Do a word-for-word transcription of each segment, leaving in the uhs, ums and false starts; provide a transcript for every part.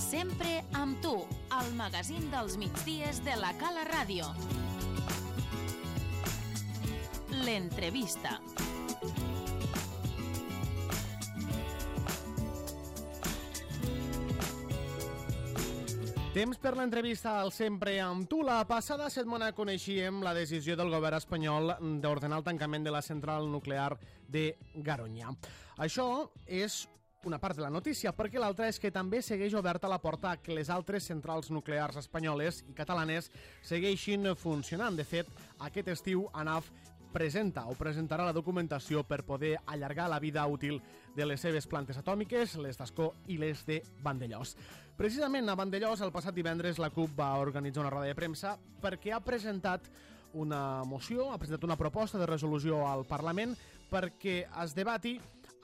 Sempre amb tu, al magazín dels migdies de la Cala Ràdio. L'entrevista. Temps per l'entrevista al Sempre amb tu. La passada setmana coneixíem la decisió del govern espanyol d'ordenar el tancament de la central nuclear de Garoña. Això és una part de la notícia, perquè l'altra és que també segueix oberta la porta a que les altres centrals nuclears espanyoles i catalanes segueixin funcionant. De fet, aquest estiu ANAF presenta o presentarà la documentació per poder allargar la vida útil de les seves plantes atòmiques, les d'Ascó i les de Vandellòs. Precisament a Vandellòs, el passat divendres, la CUP va organitzar una roda de premsa perquè ha presentat una moció, ha presentat una proposta de resolució al Parlament perquè es debati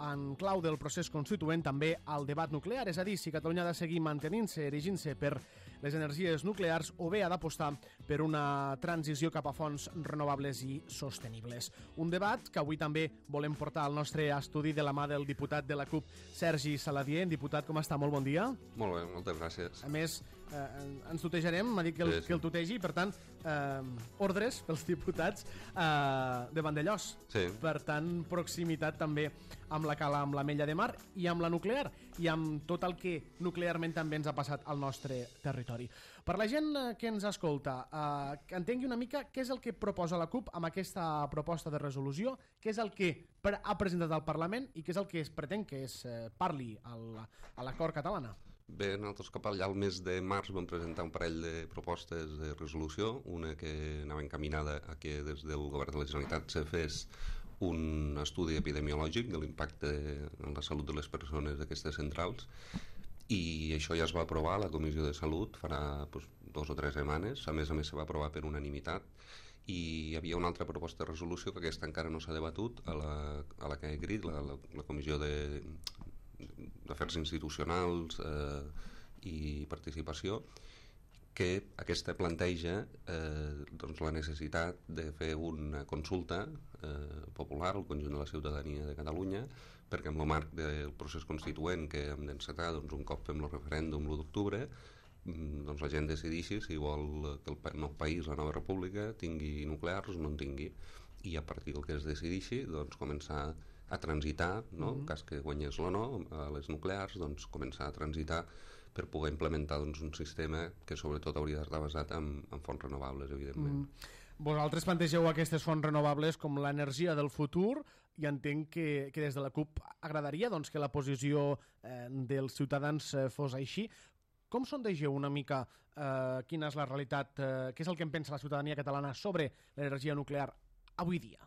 en clau del procés constituent també el debat nuclear, és a dir, si Catalunya ha de seguir mantenint-se, erigint-se per les energies nuclears o bé ha d'apostar per una transició cap a fonts renovables i sostenibles. Un debat que avui també volem portar al nostre estudi de la mà del diputat de la CUP, Sergi Saladier. Diputat, com està? Molt bon dia. Molt bé, moltes gràcies. A més, eh, ens tutejarem, m'ha dit que el, sí, sí. que el tutegi, per tant, eh, ordres pels diputats eh, de Vandellòs. Sí. Per tant, proximitat també amb la Cala, amb l'Ametlla de Mar i amb la nuclear i amb tot el que nuclearment també ens ha passat al nostre territori. Per la gent que ens escolta, eh, que entengui una mica què és el que proposa la CUP amb aquesta proposta de resolució, què és el que ha presentat al Parlament i què és el que es pretén que es eh, parli al, a l'acord catalana. Bé, nosaltres cap allà al mes de març vam presentar un parell de propostes de resolució, una que anava encaminada a que des del govern de la Generalitat se fes un estudi epidemiològic de l'impacte en la salut de les persones d'aquestes centrals, i això ja es va aprovar a la Comissió de Salut farà doncs, dos o tres setmanes. A més a més se va aprovar per unanimitat, i hi havia una altra proposta de resolució que aquesta encara no s'ha debatut a la, a la que he grit, la, la, la Comissió de d'Afers Institucionals eh, i Participació, que aquesta planteja eh, doncs la necessitat de fer una consulta eh, popular al conjunt de la ciutadania de Catalunya, perquè en el marc del procés constituent que hem d'encetar doncs, un cop fem el referèndum l'u d'octubre, doncs la gent decideixi si vol que el nou país, la nova república, tingui nuclears o no en tingui, i a partir del que es decideixi doncs, començar a transitar, no? Mm-hmm. En cas que guanyés o no a les nuclears, doncs començar a transitar per poder implementar doncs, un sistema que sobretot hauria d'estar basat en, en fonts renovables, evidentment. Mm. Vosaltres plantegeu aquestes fonts renovables com l'energia del futur, i entenc que, que des de la CUP agradaria doncs, que la posició eh, dels ciutadans eh, fos així. Com sondegeu una mica eh, quina és la realitat, eh, què és el que en pensa la ciutadania catalana sobre l'energia nuclear avui dia?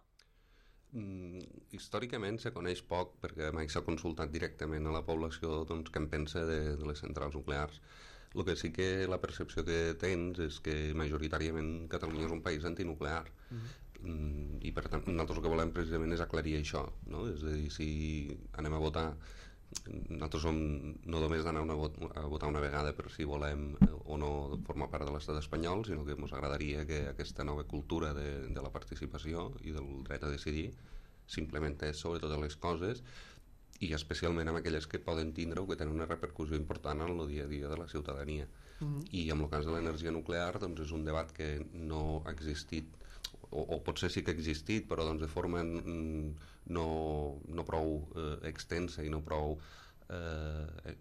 Mm, històricament se coneix poc perquè mai s'ha consultat directament a la població doncs, què en pensa de, de les centrals nuclears. El que sí que la percepció que tens és que majoritàriament Catalunya és un país antinuclear. Uh-huh. mm, i per tant nosaltres el que volem precisament és aclarir això, no? És a dir, si anem a votar, nosaltres som no només d'anar una vot, a votar una vegada per si volem o no formar part de l'estat espanyol, sinó que ens agradaria que aquesta nova cultura de, de la participació i del dret a decidir s'implementés sobre totes les coses, i especialment amb aquelles que poden tindre o que tenen una repercussió important en el dia a dia de la ciutadania. Mm-hmm. I en el cas de l'energia nuclear doncs és un debat que no ha existit, o, o potser sí que ha existit, però doncs de forma no, no prou eh, extensa i no prou eh,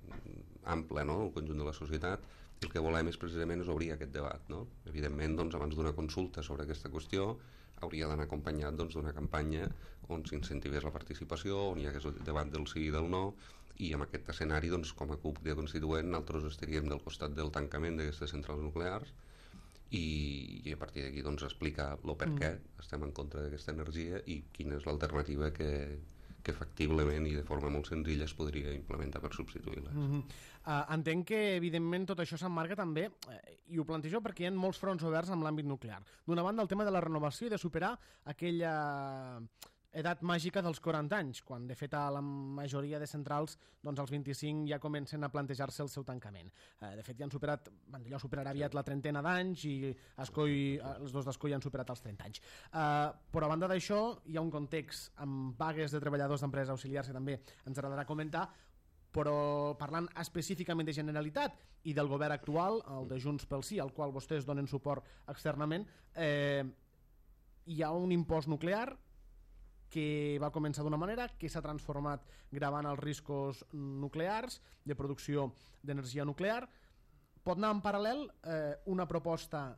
ampla, no?, el conjunt de la societat. El que volem és precisament és obrir aquest debat, no? Evidentment, doncs, abans d'una consulta sobre aquesta qüestió hauria d'anar acompanyat doncs, d'una campanya on s'incentivés la participació, on hi hagués el debat del sí i del no, i en aquest escenari, doncs, com a CUP de Constituent, nosaltres estaríem del costat del tancament d'aquestes centrals nuclears, i, i a partir d'aquí doncs, explicar el per què mm. estem en contra d'aquesta energia i quina és l'alternativa que, que factiblement i de forma molt senzilla es podria implementar per substituir-les. Mm-hmm. uh, entenc que evidentment tot això s'emmarca també, eh, i ho plantejo perquè hi ha molts fronts oberts amb l'àmbit nuclear. D'una banda el tema de la renovació i de superar aquella edat màgica dels quaranta anys, quan de fet a la majoria de centrals doncs als vint-i-cinc ja comencen a plantejar-se el seu tancament. Eh, de fet ja han superat, Vandellòs superarà aviat la trentena d'anys i Ascó i, els dos d'Ascó ja han superat els trenta anys. Eh, però a banda d'això hi ha un context amb vagues de treballadors d'empreses auxiliars que també ens agradarà comentar. però parlant específicament de Generalitat i del govern actual, el de Junts pel Sí, al qual vostès donen suport externament, eh, hi ha un impost nuclear que va començar d'una manera, que s'ha transformat gravant els riscos nuclears de producció d'energia nuclear. Pot anar en paral·lel eh, una proposta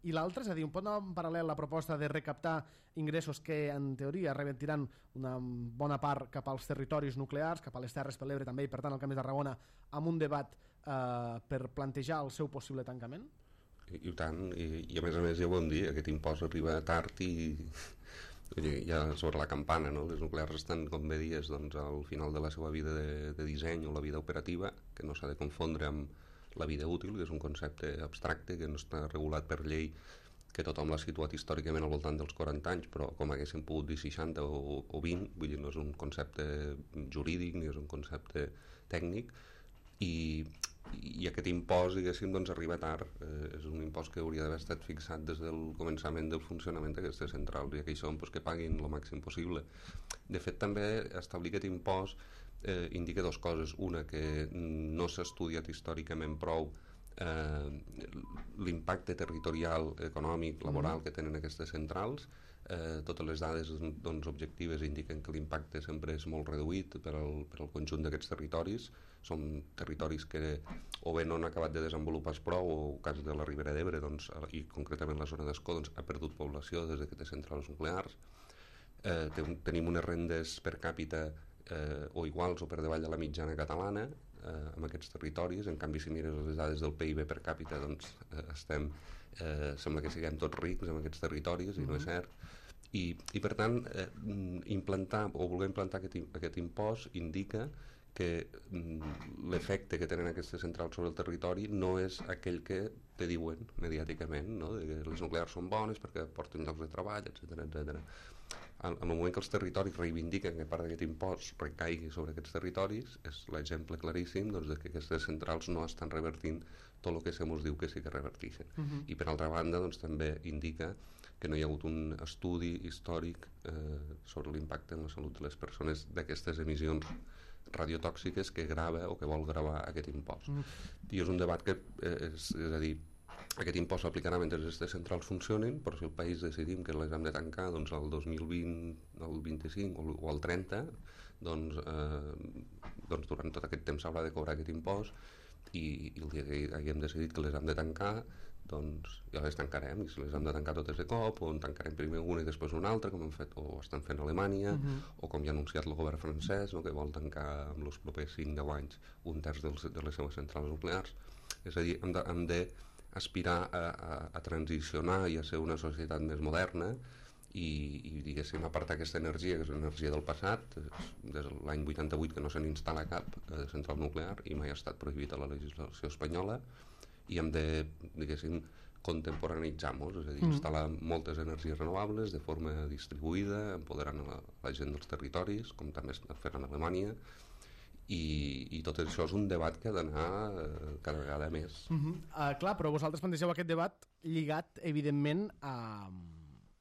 i l'altra, és a dir, pot anar en paral·lel la proposta de recaptar ingressos que en teoria revertiran una bona part cap als territoris nuclears, cap a les Terres per l'Ebre també, i per tant al Camp de Tarragona, amb un debat eh, per plantejar el seu possible tancament? I, i tant, i, i a més a més ja ho vam dir, aquest impost arriba tard i ja sobre la campana, no? Les nuclears estan, com bé dies, doncs, al final de la seva vida de, de disseny o la vida operativa, que no s'ha de confondre amb la vida útil, que és un concepte abstracte que no està regulat per llei, que tothom l'ha situat històricament al voltant dels quaranta anys, però com haguéssim pogut dir seixanta o, o vint, vull dir, no és un concepte jurídic ni és un concepte tècnic, i, i aquest impost, diguéssim, doncs arriba tard. Eh, és un impost que hauria d'haver estat fixat des del començament del funcionament d'aquestes centrals, i que hi són doncs, que paguin el màxim possible. De fet, també establir aquest impost eh, indica dues coses. Una, que no s'ha estudiat històricament prou eh, l'impacte territorial, econòmic, laboral mm. que tenen aquestes centrals. Eh, totes les dades doncs, objectives indiquen que l'impacte sempre és molt reduït per al, per al conjunt d'aquests territoris. Són territoris que o bé no han acabat de desenvolupar prou, o el cas de la Ribera d'Ebre, doncs, i concretament la zona d'Escó, doncs, ha perdut població des d'aquestes centrals nuclears. Eh, tenim unes rendes per càpita eh, o iguals o per davall de la mitjana catalana eh, en aquests territoris. En canvi, si mires les dades del P I B per càpita, doncs eh, estem, eh, sembla que siguem tots rics en aquests territoris, i no és cert. I, i per tant, eh, implantar o voler implantar aquest, aquest impost indica que mm, l'efecte que tenen aquestes centrals sobre el territori no és aquell que te diuen mediàticament, no? De que les nuclears són bones perquè porten llocs de treball, etcètera, etcètera. En el moment que els territoris reivindiquen que part d'aquest impost recaigui sobre aquests territoris, és l'exemple claríssim, doncs, de que aquestes centrals no estan revertint tot el que se mos diu que sí que reverteixen. Uh-huh. I per altra banda, doncs, també indica que no hi ha hagut un estudi històric eh, sobre l'impacte en la salut de les persones d'aquestes emissions radiotòxiques que grava o que vol gravar aquest impost. Mm. I és un debat que eh, és, és a dir, aquest impost s'aplicarà mentre aquestes centrals funcionin, però si el país decidim que les hem de tancar doncs, el dos mil vint, el vint-i-cinc o, o el trenta, doncs, eh, doncs durant tot aquest temps s'haurà de cobrar aquest impost, i, i el dia que haguem decidit que les hem de tancar, doncs ja les tancarem, i si les hem de tancar totes de cop, o en tancarem primer una i després una altra, com han fet o estan fent a Alemanya, uh-huh. o com ja ha anunciat el govern francès, no, que vol tancar en els propers cinc deu anys un terç dels, de les seves centrals nuclears. És a dir, hem de, hem de aspirar a, a, a transicionar i a ser una societat més moderna, i, i diguéssim, apartar aquesta energia, que és energia del passat. Des de l'any vuitanta-vuit que no se n'instal·la cap eh, central nuclear, i mai ha estat prohibit a la legislació espanyola, i hem de, diguéssim, contemporanitzar-nos, és a dir, mm. instal·lar moltes energies renovables de forma distribuïda, empoderant la, la gent dels territoris, com també està fent en Alemanya, i, i tot això és un debat que ha d'anar eh, cada vegada més. Mm-hmm. Uh, clar, però vosaltres plantegeu aquest debat lligat, evidentment, a...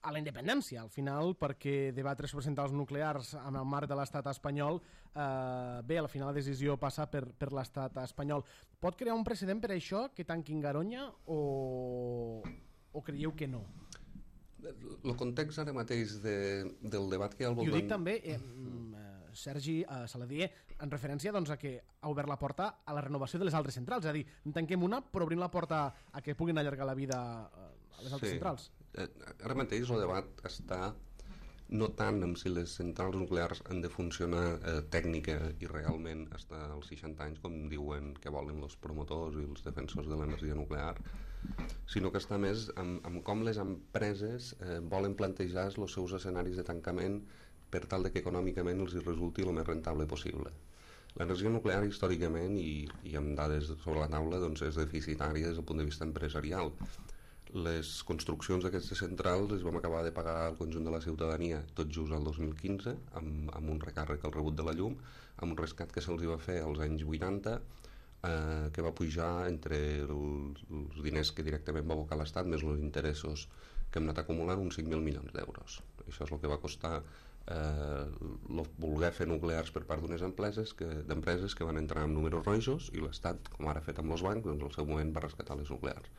a la independència, al final, perquè debatre sobre centrals nuclears en el marc de l'estat espanyol, eh, bé, al final la decisió passa per, per l'estat espanyol. Pot crear un precedent per això, que tanquin Garoña, o, o creieu que no? El context ara mateix de, del debat que hi ha al voltant... I ho dic també, eh, Sergi eh, Saladier, en referència doncs, a que ha obert la porta a la renovació de les altres centrals, és a dir, en tanquem una, però obrim la porta a que puguin allargar la vida a les altres sí. centrals. Ara mateix el debat està no tant en si les centrals nuclears han de funcionar eh, tècnica i realment fins als seixanta anys, com diuen que volen els promotors i els defensors de l'energia nuclear, sinó que està més en, en com les empreses eh, volen plantejar els seus escenaris de tancament per tal de que econòmicament els resulti el més rentable possible. L'energia nuclear històricament, i, i amb dades sobre la taula, doncs, és deficitària des del punt de vista empresarial. Les construccions d'aquestes centrals les vam acabar de pagar al conjunt de la ciutadania tot just el dos mil quinze, amb, amb un recàrrec al rebut de la llum, amb un rescat que se'ls va fer als anys vuitanta, eh, que va pujar entre els, els diners que directament va abocar l'Estat més els interessos que hem anat acumulant uns cinc mil milions d'euros. Això és el que va costar eh, voler fer nuclears per part d'unes empreses que, d'empreses que van entrar amb números rojos i l'Estat, com ara ha fet amb els bancs, doncs al seu moment va rescatar les nuclears.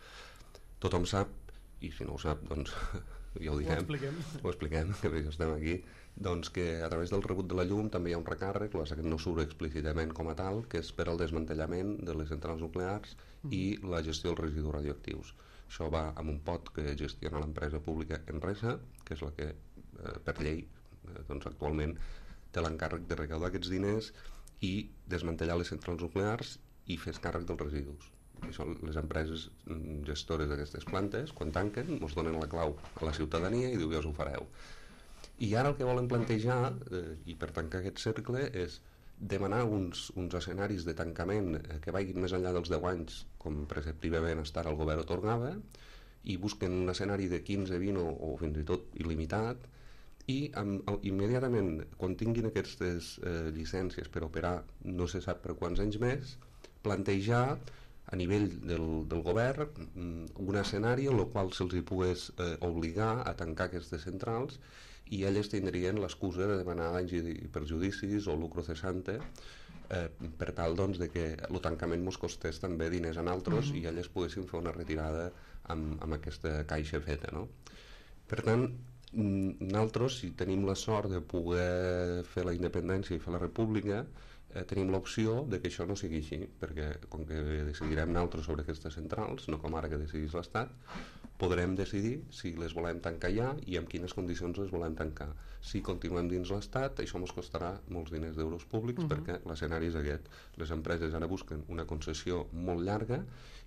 Tothom sap, i si no ho sap, doncs ja ho diguem, ho expliquem, ho expliquem que bé, estem aquí, doncs que a través del rebut de la llum també hi ha un recàrrec, que no surt explícitament com a tal, que és per al desmantellament de les centrals nuclears mm. i la gestió dels residus radioactius. Això va amb un pot que gestiona l'empresa pública Enresa, que és la que eh, per llei eh, doncs actualment té l'encàrrec de recaudar aquests diners i desmantellar les centrals nuclears i fer càrrec dels residus. Això, les empreses gestores d'aquestes plantes, quan tanquen, ens donen la clau a la ciutadania i diu ja us ho fareu. I ara el que volen plantejar, eh, i per tancar aquest cercle, és demanar uns, uns escenaris de tancament eh, que vagin més enllà dels deu anys, com preceptivament estar el govern atorgava, i busquen un escenari de quinze, vint o, o fins i tot il·limitat, i amb, immediatament, quan tinguin aquestes eh, llicències per operar no se sap per quants anys més, plantejar a nivell del, del govern un escenari en el qual se'ls hi pogués eh, obligar a tancar aquestes centrals i elles tindrien l'excusa de demanar danys i perjudicis o lucro cesante eh, per tal doncs, de que el tancament mos costés també diners a nosaltres mm-hmm. i elles poguessin fer una retirada amb, amb aquesta caixa feta, no? Per tant, nosaltres, si tenim la sort de poder fer la independència i fer la república, Eh, tenim l'opció de que això no sigui així, perquè com que decidirem nosaltres sobre aquestes centrals, no com ara que decidís l'Estat, podrem decidir si les volem tancar ja i en quines condicions les volem tancar. Si continuem dins l'Estat, això ens costarà molts diners d'euros públics uh-huh. perquè l'escenari és aquest. Les empreses ara busquen una concessió molt llarga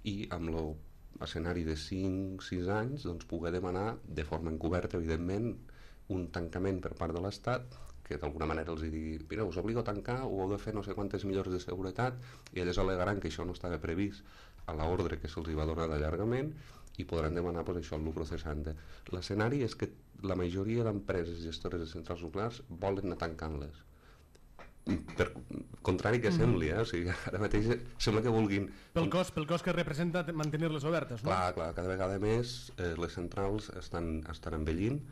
i amb l'escenari de cinc sis anys doncs, poder demanar de forma encoberta, evidentment, un tancament per part de l'Estat que d'alguna manera els digui, mira, us obligo a tancar, ho heu de fer no sé quantes millores de seguretat, i elles alegaran que això no estava previst a l'ordre que se'ls va donar d'allargament i podran demanar pues, això, el lucro cesante. L'escenari és que la majoria d'empreses gestores de centrals nuclears volen anar tancant-les. Per contrari que sembli, eh? O sigui, ara mateix sembla que vulguin... Pel cost, pel cost que representa mantenir-les obertes, no? Clar, clar, cada vegada més eh, les centrals estan, estan envellint.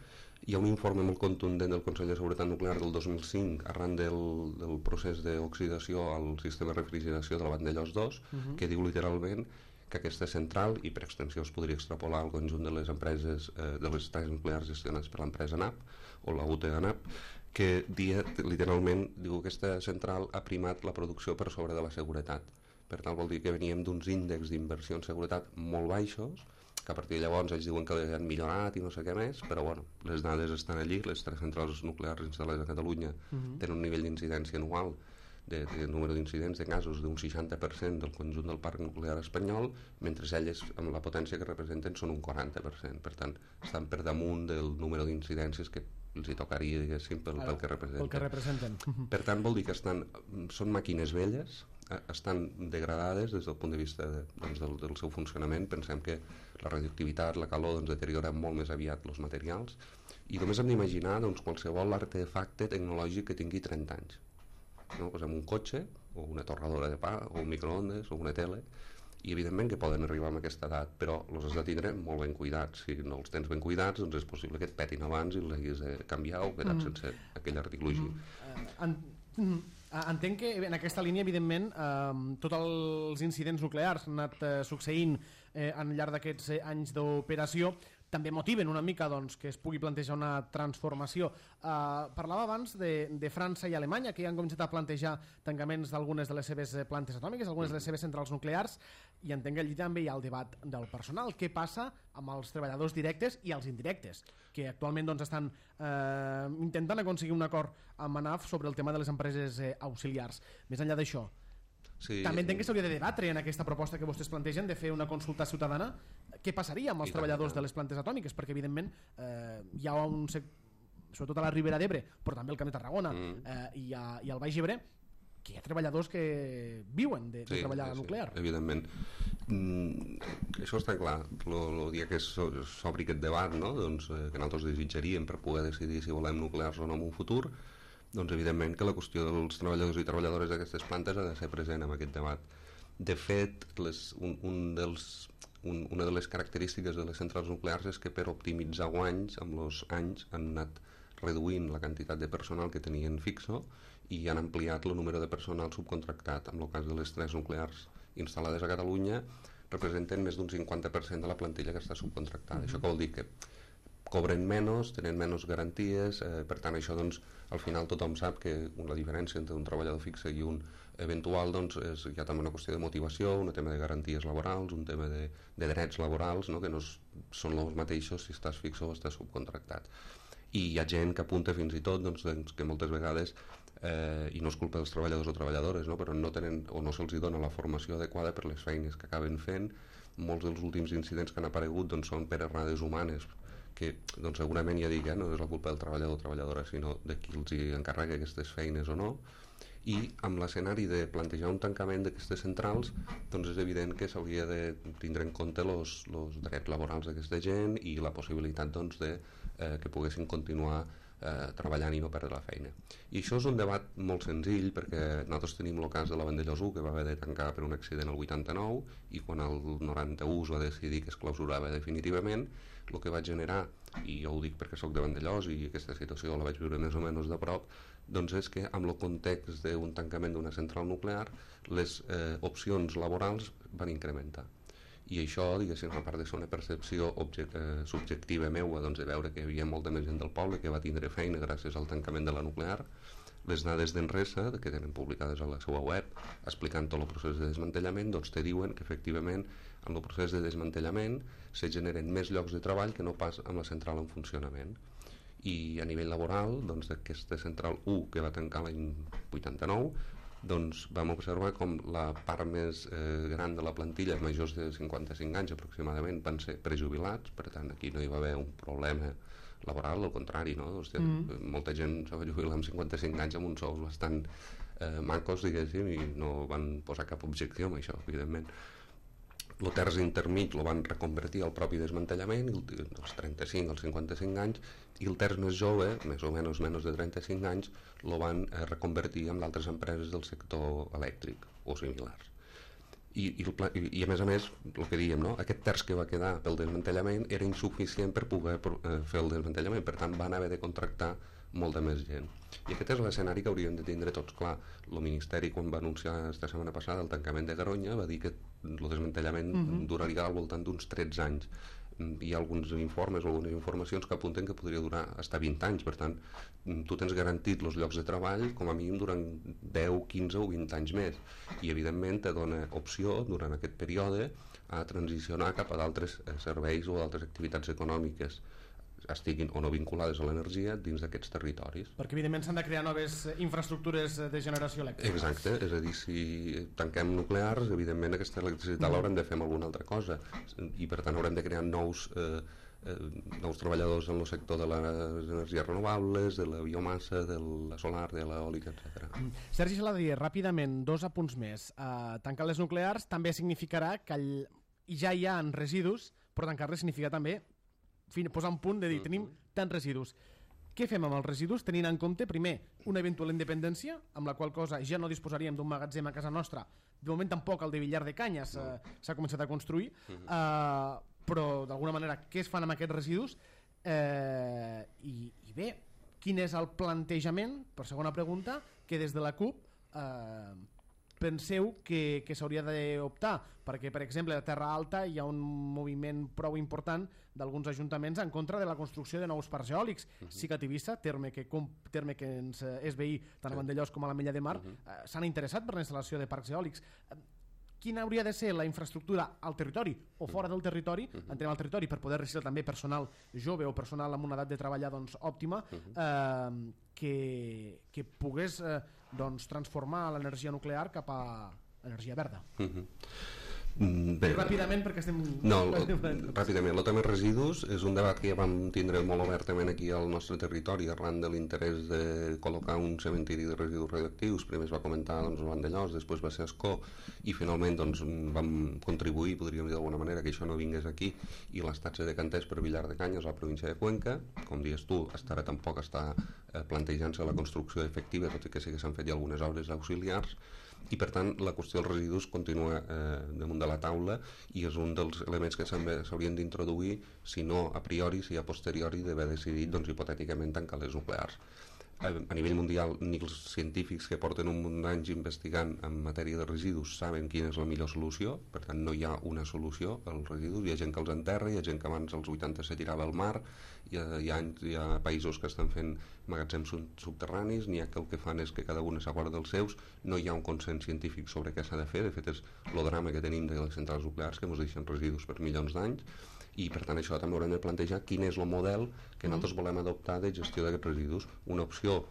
Hi ha un informe molt contundent del Consell de Seguretat Nuclear del dos mil cinc arran del, del procés d'oxidació al sistema de refrigeració de la Vandellòs dos uh-huh. que diu literalment que aquesta central, i per extensió es podria extrapolar al conjunt de les empreses eh, de les centrals nuclears gestionades per l'empresa N A P o la U T de N A P, que dia, literalment diu que aquesta central ha primat la producció per sobre de la seguretat. Per tant, vol dir que veníem d'uns índexs d'inversió en seguretat molt baixos, que a partir de llavors ells diuen que han millorat i no sé què més, però bueno, les dades estan allí, les tres centrals nuclears instal·lades a Catalunya uh-huh. tenen un nivell d'incidència anual de, de número d'incidents de casos d'un seixanta per cent del conjunt del parc nuclear espanyol, mentre elles, amb la potència que representen, són un quaranta per cent. Per tant, estan per damunt del número d'incidències que els hi tocaria, diguéssim, pel, pel que representen. Pel que representen. Per tant, vol dir que estan, són màquines velles, estan degradades des del punt de vista de, doncs, del, del seu funcionament. Pensem que la radioactivitat, la calor doncs, deteriora molt més aviat els materials i només hem d'imaginar doncs, qualsevol artefacte tecnològic que tingui trenta anys, no? Posem un cotxe o una torradora de pa o un microondes o una tele i evidentment que poden arribar a aquesta edat, però els has de tindre molt ben cuidats. Si no els tens ben cuidats doncs és possible que et petin abans i els haguis de canviar o quedar mm. sense aquell article mm. uh, en, mm. Entenc que en aquesta línia, evidentment, eh, tots els incidents nuclears han anat eh, succeint eh, al llarg d'aquests eh, anys d'operació, també motiven una mica doncs, que es pugui plantejar una transformació. Uh, parlava abans de, de França i Alemanya, que ja han començat a plantejar tancaments d'algunes de les seves plantes atòmiques, algunes de les seves centrals nuclears, i entenc que allí també hi ha el debat del personal. Què passa amb els treballadors directes i els indirectes, que actualment doncs, estan eh, intentant aconseguir un acord amb ANAF sobre el tema de les empreses eh, auxiliars. Més enllà d'això, sí. També entenc que s'hauria de debatre en aquesta proposta que vostès plantegen de fer una consulta ciutadana. Què passaria amb els I treballadors tant, de les plantes atòmiques? Perquè evidentment eh, hi ha un sobretot a la Ribera d'Ebre, però també al Camp de Tarragona mm. eh, i, a, i al Baix Ebre, que hi ha treballadors que viuen de, sí, de treballar sí, nuclear. Sí, evidentment. Mm, això està clar. El dia que s'obri aquest debat, no? doncs, eh, que nosaltres desitjaríem per poder decidir si volem nuclears o no en un futur, doncs evidentment que la qüestió dels treballadors i treballadores d'aquestes plantes ha de ser present en aquest debat. De fet, les, un, un dels, un, una de les característiques de les centrals nuclears és que per optimitzar guanys, amb els anys han anat reduint la quantitat de personal que tenien fixo i han ampliat el número de personal subcontractat. En el cas de les tres nuclears instal·lades a Catalunya representen més d'un cinquanta per cent de la plantilla que està subcontractada. Mm-hmm. Això què vol dir? Que cobren menys, tenen menys garanties, eh, per tant això doncs al final tothom sap que la diferència entre un treballador fixe i un eventual doncs és, hi ha també una qüestió de motivació, un tema de garanties laborals, un tema de, de drets laborals, no? Que no és, són els mateixos si estàs fix o estàs subcontractat. I hi ha gent que apunta fins i tot doncs, doncs, que moltes vegades eh, i no és culpa dels treballadors o treballadores, no? Però no tenen o no se'ls dona la formació adequada per les feines que acaben fent. Molts dels últims incidents que han aparegut doncs, són per errades humanes que doncs, segurament ja dic, eh, no és la culpa del treballador o treballadora, sinó de qui els encarrega aquestes feines o no. I amb l'escenari de plantejar un tancament d'aquestes centrals doncs és evident que s'hauria de tindre en compte els drets laborals d'aquesta gent i la possibilitat doncs, de, eh, que poguessin continuar eh, treballant i no perdre la feina. I això és un debat molt senzill perquè nosaltres tenim el cas de la Vandellòs u que va haver de tancar per un accident el vuitanta-nou i quan el noranta-u es va decidir que es clausurava definitivament, el que va generar, i jo ho dic perquè soc de Vandellòs i aquesta situació la vaig viure més o menys de prop, doncs és que amb el context d'un tancament d'una central nuclear les eh, opcions laborals van incrementar. I això, diguéssim, a part de ser una percepció object, eh, subjectiva meua, doncs de veure que hi havia molta més gent del poble que va tindre feina gràcies al tancament de la nuclear, les dades d'Enresa, que tenen publicades a la seva web, explicant tot el procés de desmantellament, doncs te diuen que efectivament en el procés de desmantellament se generen més llocs de treball que no pas amb la central en funcionament. I a nivell laboral, doncs d'aquesta central u que va tancar l'any vuitanta-nou, doncs vam observar com la part més eh, gran de la plantilla, majors de cinquanta-cinc anys aproximadament, van ser prejubilats, per tant aquí no hi va haver un problema laboral, al contrari, no? Hòstia, mm. molta gent se va jubilar amb cinquanta-cinc anys amb uns sous bastant eh, macos, diguéssim, i no van posar cap objecció amb això, evidentment. El terç intermig el van reconvertir al propi desmantellament, dels trenta-cinc als cinquanta-cinc anys, i el terç més jove, més o menys menys de trenta-cinc anys, el van eh, reconvertir en d'altres empreses del sector elèctric o similars. I, i, el, i, i a més a més, el que dèiem, no? Aquest terç que va quedar pel desmantellament era insuficient per poder eh, fer el desmantellament, per tant van haver de contractar molta més gent. I aquest és l'escenari que hauríem de tindre tots clar. El Ministeri, quan va anunciar esta setmana passada el tancament de Garoña, va dir que el desmantellament uh-huh. duraria al voltant d'uns tretze anys. Hi ha alguns informes o algunes informacions que apunten que podria durar fins a vint anys. Per tant, tu tens garantit els llocs de treball com a mínim durant deu, quinze o vint anys més. I evidentment te dona opció durant aquest període a transicionar cap a d'altres serveis o d'altres activitats econòmiques estiguin o no vinculades a l'energia dins d'aquests territoris. Perquè evidentment s'han de crear noves infraestructures de generació elèctrica. Exacte, és a dir, si tanquem nuclears, evidentment aquesta electricitat mm. l'haurem de fer amb alguna altra cosa i per tant haurem de crear nous, eh, eh, nous treballadors en el sector de les energies renovables, de la biomassa, de la solar, de l'eòlica, etcètera. Mm. Sergi Saladí, ràpidament, dos apunts més. Uh, tancar les nuclears també significarà que el... ja hi ha residus, però tancar-les significa també posar un punt de dir, tenim tants residus. Què fem amb els residus tenint en compte, primer, una eventual independència, amb la qual cosa ja no disposaríem d'un magatzem a casa nostra, de moment tampoc el de Villar de Canyes s'ha uh, començat a construir, uh, però d'alguna manera què es fan amb aquests residus? Uh, i, I bé, quin és el plantejament, per segona pregunta, que des de la CUP uh, penseu que, que s'hauria d'optar? Perquè, per exemple, a Terra Alta hi ha un moviment prou important d'alguns ajuntaments en contra de la construcció de nous parcs eòlics. Uh-huh. Sí que a Tivissa, terme que, terme que ens és veí tant a Vandellòs com a la Mella de Mar, uh-huh. eh, s'han interessat per la instal·lació de parcs eòlics. Eh, quina hauria de ser la infraestructura al territori o fora del territori, uh-huh. entrem al territori per poder reciclar també personal jove o personal amb una edat de treballar doncs, òptima, uh-huh. eh, que, que pogués eh, doncs, transformar l'energia nuclear cap a l'energia verda. Uh-huh. Bé, ràpidament perquè estem... No, ràpidament. El tema de residus és un debat que ja vam tindre molt obertament aquí al nostre territori arran de l'interès de col·locar un cementiri de residus radioactius. Primer es va comentar doncs, el Vandellòs, després va ser Ascó i finalment doncs, vam contribuir, podríem dir d'alguna manera, que això no vingués aquí i l'estat se decantés per Villar de Canyes, a la província de Cuenca. Com dius tu, hasta ara tampoc està eh, plantejant-se la construcció efectiva, tot i que sí que s'han fet ja algunes obres auxiliars. i per tant la qüestió dels residus continua eh, damunt de la taula i és un dels elements que s'haurien d'introduir, si no a priori, si a posteriori d'haver decidit doncs, hipotèticament tancar les nuclears. A nivell mundial, ni els científics que porten un munt d'anys investigant en matèria de residus saben quina és la millor solució, per tant no hi ha una solució als residus, hi ha gent que els enterra, hi ha gent que abans als vuitanta se tirava al mar, hi ha, hi ha, hi ha països que estan fent magatzems subterranis, n'hi ha que el que fan és que cada un s'aguarda dels seus, no hi ha un consens científic sobre què s'ha de fer, de fet és el drama que tenim de les centrals nuclears que ens deixen residus per milions d'anys, i per tant això també haurem de plantejar quin és el model que nosaltres volem adoptar de gestió d'aquests residus. Una opció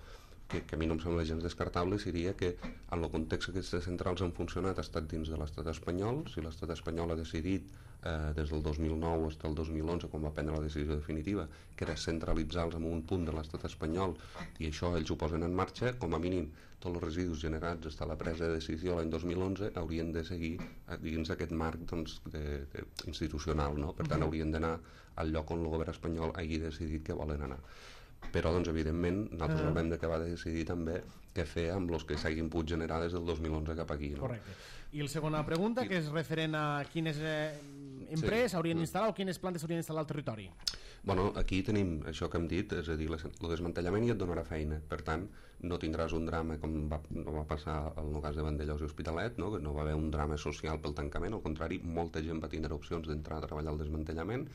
que, que a mi no em sembla gens descartable seria que en el context que aquestes centrals han funcionat ha estat dins de l'estat espanyol. Si l'estat espanyol ha decidit eh, des del dos mil nou fins al dos mil onze, quan va prendre la decisió definitiva, que era centralitzar-los en un punt de l'estat espanyol, i això ells ho posen en marxa, com a mínim tots els residus generats des de la presa de decisió l'any dos mil onze haurien de seguir dins aquest marc doncs, de, de, institucional, no? Per tant haurien d'anar al lloc on el govern espanyol hagi decidit que volen anar. Però doncs evidentment nosaltres haurem d'acabar de decidir també què fer amb els que s'hagin pogut generar des del dos mil onze cap aquí, no? Correcte. I la segona pregunta, que és referent a quines eh, empreses sí. haurien d'instal·lar o quines plantes haurien d'instal·lar al territori. Bueno, aquí tenim això que hem dit, és a dir, el desmantellament ja et donarà feina, per tant no tindràs un drama com va, no va passar en el cas de Vandellòs i Hospitalet, no? Que no va haver un drama social pel tancament, al contrari, molta gent va tindre opcions d'entrar a treballar al desmantellament,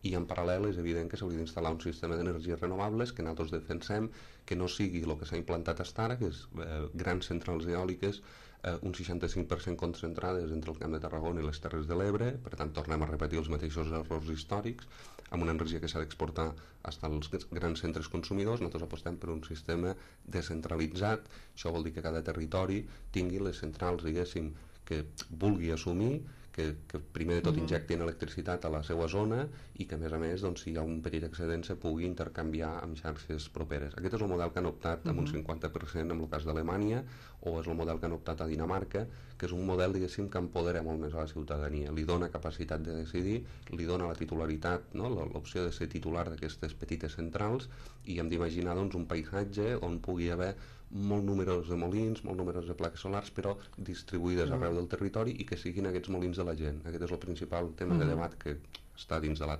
i en paral·lel és evident que s'hauria d'instal·lar un sistema d'energies renovables que nosaltres defensem que no sigui el que s'ha implantat fins ara, que és eh, grans centrals eòliques, eh, un seixanta-cinc per cent concentrades entre el Camp de Tarragona i les Terres de l'Ebre, per tant tornem a repetir els mateixos errors històrics, amb una energia que s'ha d'exportar fins als grans centres consumidors. Nosaltres apostem per un sistema descentralitzat, això vol dir que cada territori tingui les centrals, diguéssim, que vulgui assumir, que, que primer de tot injectin electricitat a la seva zona i que a més a més doncs, si hi ha un petit excedent se pugui intercanviar amb xarxes properes. Aquest és el model que han optat amb un cinquanta per cent en el cas d'Alemanya, o és el model que han optat a Dinamarca, que és un model diguéssim que empodera molt més a la ciutadania, li dona capacitat de decidir, li dona la titularitat, no? L'opció de ser titular d'aquestes petites centrals, i hem d'imaginar doncs, un paisatge on pugui haver molt números de molins, molt números de plaques solars, però distribuïdes mm. arreu del territori i que siguin aquests molins de la gent. Aquest és el principal tema mm. de debat que està dins de la,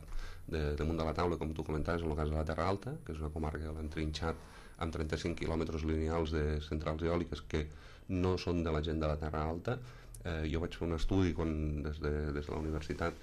de, damunt de la taula, com tu comentaves, en el cas de la Terra Alta, que és una comarca que l'han trinxat amb trenta-cinc quilòmetres lineals de centrals eòliques que no són de la gent de la Terra Alta. Eh, jo vaig fer un estudi quan, des, de, des de la universitat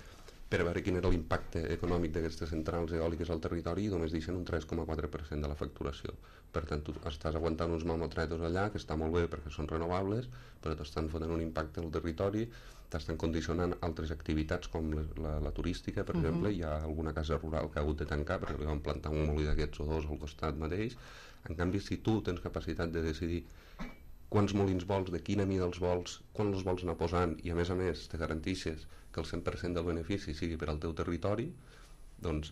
per veure quin era l'impacte econòmic d'aquestes centrals eòliques al territori i només deixen un tres coma quatre per cent de la facturació. Per tant, tu estàs aguantant uns mamotretos allà, que està molt bé perquè són renovables, però t'estan fotent un impacte al territori, t'estan condicionant altres activitats com la, la, la turística, per uh-huh. exemple. Hi ha alguna casa rural que ha hagut de tancar perquè li van plantar un molí d'aquests o dos al costat mateix. En canvi, si tu tens capacitat de decidir quants molins vols, de quina mida els vols, quan els vols anar posant, i a més a més te garantixes que el cent per cent del benefici sigui per al teu territori, doncs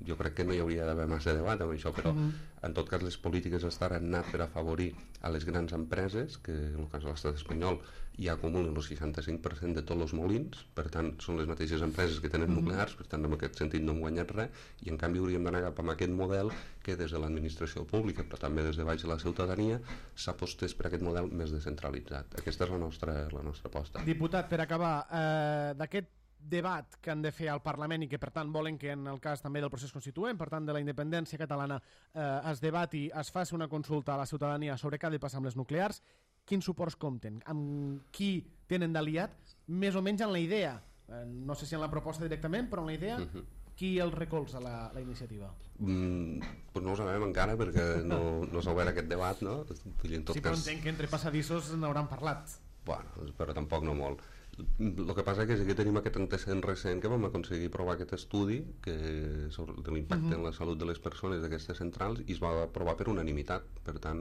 jo crec que no hi hauria d'haver massa debat amb això, però mm. en tot cas les polítiques estan anat per afavorir a les grans empreses, que en el cas de l'estat espanyol ja acumulen el seixanta-cinc per cent de tots els molins, per tant són les mateixes empreses que tenen mm. nuclears, per tant en aquest sentit no hem guanyat res, i en canvi hauríem d'anar cap a aquest model que des de l'administració pública, però també des de baix de la ciutadania, s'apostés per aquest model més descentralitzat. Aquesta és la nostra, la nostra aposta. Diputat, per acabar, eh, d'aquest debat que han de fer al Parlament i que per tant volen que en el cas també del procés constituent, per tant de la independència catalana, eh, es debati, es faci una consulta a la ciutadania sobre què ha de passar amb les nuclears, quins suports compten, amb qui tenen d'aliat, més o menys en la idea, eh, no sé si en la proposta directament, però en la idea, uh-huh. qui el recolza la, la iniciativa? Mm, pues no ho sabem encara perquè no, no s'ha obert aquest debat, no? En tot sí, però cas... entenc que entre passadissos n'hauran parlat. Bueno, però tampoc no molt. El que passa és que sí que tenim aquest antecedent recent que vam aconseguir provar aquest estudi que, sobre de l'impacte uh-huh. en la salut de les persones d'aquestes centrals, i es va aprovar per unanimitat. Per tant,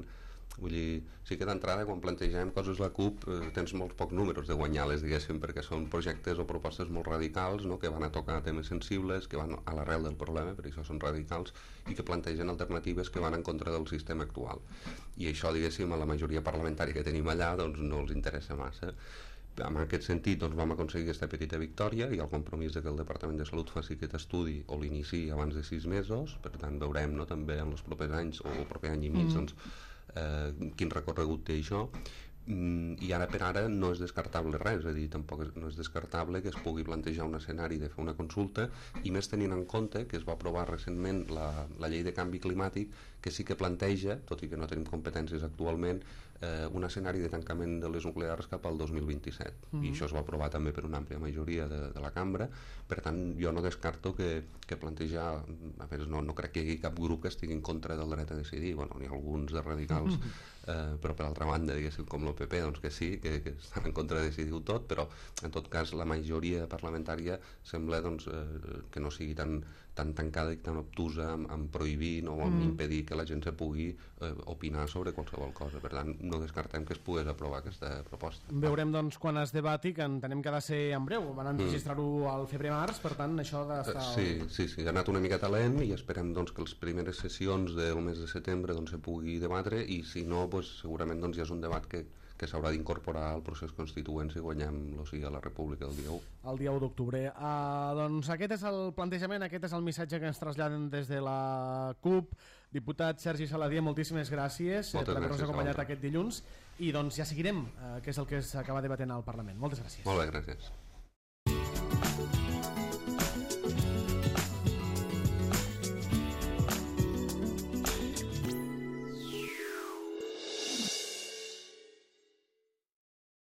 vull dir, sí que d'entrada quan plantegem coses la CUP eh, tens molts pocs números de guanyar-les, diguéssim, perquè són projectes o propostes molt radicals, no?, que van a tocar temes sensibles, que van a l'arrel del problema, per això són radicals, i que plantegen alternatives que van en contra del sistema actual. I això, diguéssim, a la majoria parlamentària que tenim allà doncs no els interessa massa. En aquest sentit doncs, vam aconseguir aquesta petita victòria i el compromís de que el Departament de Salut faci aquest estudi o l'inici abans de sis mesos, per tant veurem, no?, també en els propers anys o el proper any i mig mm. doncs, eh, quin recorregut té això, i ara per ara no és descartable res, és a dir, tampoc no és descartable que es pugui plantejar un escenari de fer una consulta, i més tenint en compte que es va aprovar recentment la, la llei de canvi climàtic, que sí que planteja, tot i que no tenim competències actualment, eh, un escenari de tancament de les nuclears cap al dos mil vint-i-set, mm-hmm. i això es va aprovar també per una àmplia majoria de, de la cambra. Per tant, jo no descarto que, que plantejar, a veure, no, no crec que hi hagi cap grup que estigui en contra del dret a decidir, bueno, n'hi ha alguns de radicals, eh, però per altra banda, diguéssim, com l'O P P, doncs que sí, que, que estan en contra de decidir-ho tot, però en tot cas la majoria parlamentària sembla doncs, eh, que no sigui tan, tan tancada i tan obtusa amb, amb prohibir no, o amb mm. impedir que la gent se pugui eh, opinar sobre qualsevol cosa. Per tant, no descartem que es pogués aprovar aquesta proposta. Veurem doncs quan es debati, que entenem que ha de ser en breu, van enregistrar-ho mm. al febrer-març, per tant això ha d'estar... Uh, sí, sí, sí, ha anat una miqueta lent i esperem doncs, que les primeres sessions del mes de setembre doncs, se pugui debatre, i si no, doncs, segurament doncs, ja és un debat que que s'haurà d'incorporar al procés constituent si guanyem o sigui, a la República el dia u. El dia u d'octubre. Uh, doncs aquest és el plantejament, aquest és el missatge que ens traslladen des de la CUP. Diputat Sergi Saladié, moltíssimes gràcies Moltes per haver-nos gràcies acompanyat aquest dilluns, i doncs ja seguirem, uh, que és el que s'acaba debatent al Parlament. Moltes gràcies. Molt bé, gràcies.